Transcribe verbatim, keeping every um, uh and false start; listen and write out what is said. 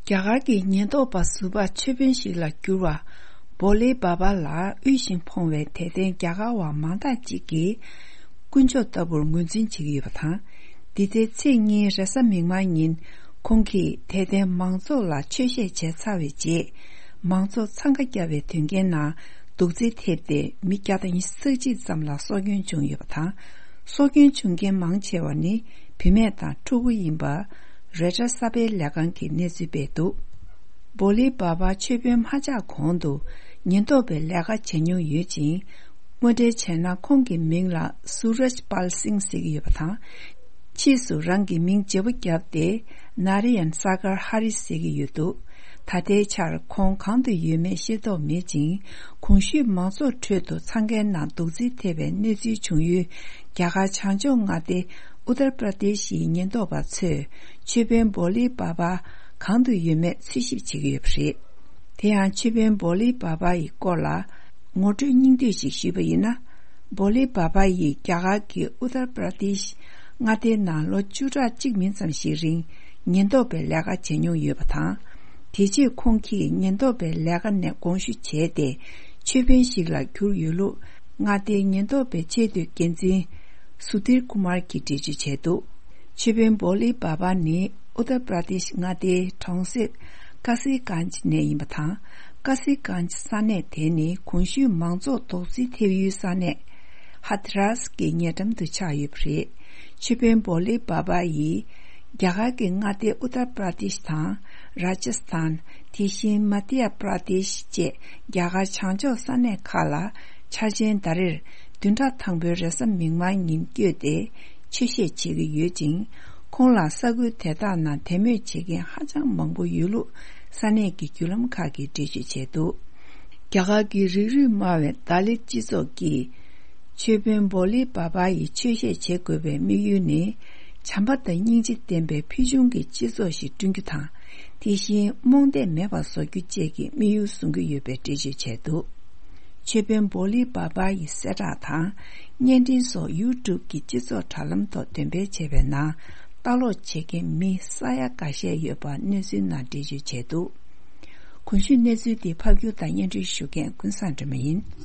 རྒྱ་གར་གྱི་ཉེན་རྟོག་པ་ཟུར་པ་ཆོས་དཔོན་ཞིག་ལ་གྱུར་བ་བོ་ལི་བྷ་བྷ་ལ་དབུལ་ཞིང་ཕོངས་པའི་དད་ལྡན་རྒྱ་གར་བ་མང་དག་ཅིག་གིས་དཀོན་མཆོག་ལྟ་བུར་ངོས་འཛིན་བྱེད་ཀྱི་ཡོད་པ་དང་། འདི་ཟླའི་ཚེས་གཉིས་རེས་གཟའ་མིག་དམར་ཉིན་ཁོང་གིས་དད་ལྡན་མང་ཚོགས་ལ་ཆོས་བཤད་བྱས་ཚར་བའི་རྗེས། མང་ཚོགས་འཚང་ཁ་བརྒྱབ་པའི་དོན་རྐྱེན་ནང་རྡོག་རྫིས་ཐེབས་ཏེ་མི་བརྒྱ་དང་ཉི་ཤུ་རྩ་གཅིག་ཙམ་ལ་སྲོག་སྐྱོན་བྱུང་ཡོད་པ་དང་། སྲོག་སྐྱོན་བྱུང་མཁན་མང་ཆེ་བ་ནི་བུད་མེད་དང་ཕྲུ་གུ་ཡིན་པ། རོའི་ཊར་གསར་པའི་ལས་ཁང་གིས་གནས་ཚུལ་སྤེལ་འདུག་བོ་ལི་བྷ་བྷ་ཆོས་དཔོན་མ་ཆགས་གོང་དུ་ཉེན་རྟོག་པའི་ལས་ཀ་བྱེད་མྱོང་ཡོད་ཅིང་། དངོས་འབྲེལ་བྱས་ན་ཁོང་གི་མིང་ལ་སུ་རཇ་པཱལ་སིང་ཟེར་གྱི་ཡོད་པ་དང་། ཕྱིས་སུ་རང་གི་མིང་བརྗེ་པོ་བརྒྱབ་སྟེ་ནཱ་ར་ཡན་སཱ་གར་ཧ་རི་ཟེར་གྱི་ཡོད་འདུག་ད་ལྟའི་ཆར་ཁོང་གང་དུ་ཡོད་མེད་ཤེས་རྟོགས་མེད་ཅིང་། གོང་ཞུས་མང་ཚོགས་ཁྲོད་དུ་འཚང་ཁའི་ནང་རྡོག་རྫིས་ཐེབས་པའི་གནས་ཚུལ་བྱུང་ཡུལ་རྒྱ་གར་བྱང་ཕྱོགས་མངའ་སྡེ་ཨུ་ཏར་པྲ་དེ་ཤིའི་ཉེན་རྟོག་པ་ཚོས་ཆོས་དཔོན་བོ་ལི་བྷ་བྷ་གང་དུ་ཡོད་མེད་འཚོལ་ཞིབ་བྱེད་ཀྱི་ཡོད་པ་རེད། དེ་ཡང་ཆོས་དཔོན་བོ་ལི་བྷ་བྷ་ཡི་སྐོར་ལ་ངོ་སྤྲོད་སྙིང་བསྡུས་ཤིག་ཞུས་པ་ཡིན་ན། བོ་ལི་བྷ་བྷ་ཡིས་རྒྱ་གར་གྱི་ཨུ་ཏར་པྲ་དེཤ་མངའ་སྡེའི་ནང་ལོ་བཅུ་ཕྲག་གཅིག་མིན་ཙམ་ཞིག་རིང་ཉེན་རྟོག་པའི་ལས་ཀ་བྱེད་མྱོང་ཡོད་པ་དང་། དེ་རྗེས་ཁོང་གིས་ཉེན་རྟོག་པའི་ལས་ཀ་ནས་དགོངས་ཞུ་བྱས་ཏེ། ཆོས་དཔོན་ཞིག་ལ་གྱུར་ཡོད་ལུགས་མངའ་སྡེའི་ཉེན་རྟོག་པའི་ཆེས་མཐོའི་འགན་འཛིན་སུ་དིར་ཀུ་མར་གྱིས་འགྲེལ་བརྗོད་བྱས་འདུག་ཆོས་དཔོན་བོ་ལི་བྷ་བྷ་ནི་ཨུ་ཏར་པྲ་དེཤ་མངའ་སྡེའི་གྲོང་གསེབ་ཀ་སི་གཱན་ཇི་ནས་ཡིན་པ་དང་། ཀ་སི་གཱན་ཇི་ས་གནས་དེ་ནི་གོང་ཞུས་མང་ཚོགས་རྡོག་རྫིས་ཐེབས་ཡུལ་ས་གནས་ཧ་ཐི་རཱས་ཀྱི་ཉེ་འགྲམ་དུ་ཆགས་ཡོད་པ་རེད། ཆོས་དཔོན་བོ་ལི་བྷ་བྷ་ཡིས་རྒྱ་གར་གྱི་མངའ་སྡེ་ཨུ་ཏར་པྲ་དེཤ་དང་རཱ་ཇ་སི་ཐན། དེ་བཞིན་མ་དྷྱ་པྲ་དེཤ་བཅས་རྒྱ་གར་བྱང་ཕྱོགས་ས་གནས་ཁག་ལ་འཆར་ཅན་ཟླ་རེར་བདུན་ཕྲག་དང་པོའི་རེས་གཟའ་མིག་དམར་ཉིན་བསྐྱོད་དེ་ཆོས་བཤད་བྱེད་ཀྱི་ཡོད་ཅིང་། ཁོང་ལ་ས་ཁུལ་དེ་དག་ནང་དད་མོས་བྱེད་མཁན་ཧ་ཅང་མང་པོ་ཡོད་ལུགས་ས་གནས་ཀྱི་བརྒྱུད་ལམ་ཁག་གིས་འགྲེལ་བརྗོད་བྱས་འདུག་རྒྱ་གར་གྱི་རིགས་རུས་དམའ་བའི་ད་ལི་སྤྱི་ཚོགས་ཀྱིས་ཆོས་དཔོན་བོ་ལི་བྷ་བྷ་ཡི་ཆོས་བཤད་བྱེད་དགོས་པའི་དམིགས་ཡུལ་ནི། བྱམས་པ་དང་སྙིང་རྗེ་ལྡན་པའི་ཕུལ་བྱུང་གི་སྤྱི་ཚོགས་ཤིག་བསྐྲུན་རྒྱུ་དང་། དེ་བཞིན་རྨོངས་དད་མེད་པར་བཟོ་རྒྱུ་བཅས་ཀྱི་དམིགས་ཡུལ་བཟུང་གི་ཡོད་པའི་འགྲེལ་བརྗོད་བྱས་འདུག་ཆོས་དཔོན་བོ་ལི་བྷ་བྷ་ཡི་གསལ་བསྒྲགས་དང་བརྙན་འཕྲིན་སོགས་ཡུ་ཊུབ་ཀྱི་སྤྱི་ཚོགས་དྲ་ལམ་ཐོག་འདོན་སྤེལ་བྱས་པའི་ནང་ལྟ་ཀློག་བྱེད་མཁན་མི་ས་ཡ་འགའ་ཤས་ཡོད་པ་གནས་ཚུལ་ནང་འགྲེལ་བརྗོད་བྱས་འདུག་གོང་ཞུས་གནས་ཚུལ་འདི་ཕབ་སྒྱུར་དང་སྙན་སྒྲོན་ཞུ་མཁན་ཀུན་བཟང་སྒྲོལ་མ་ཡིན།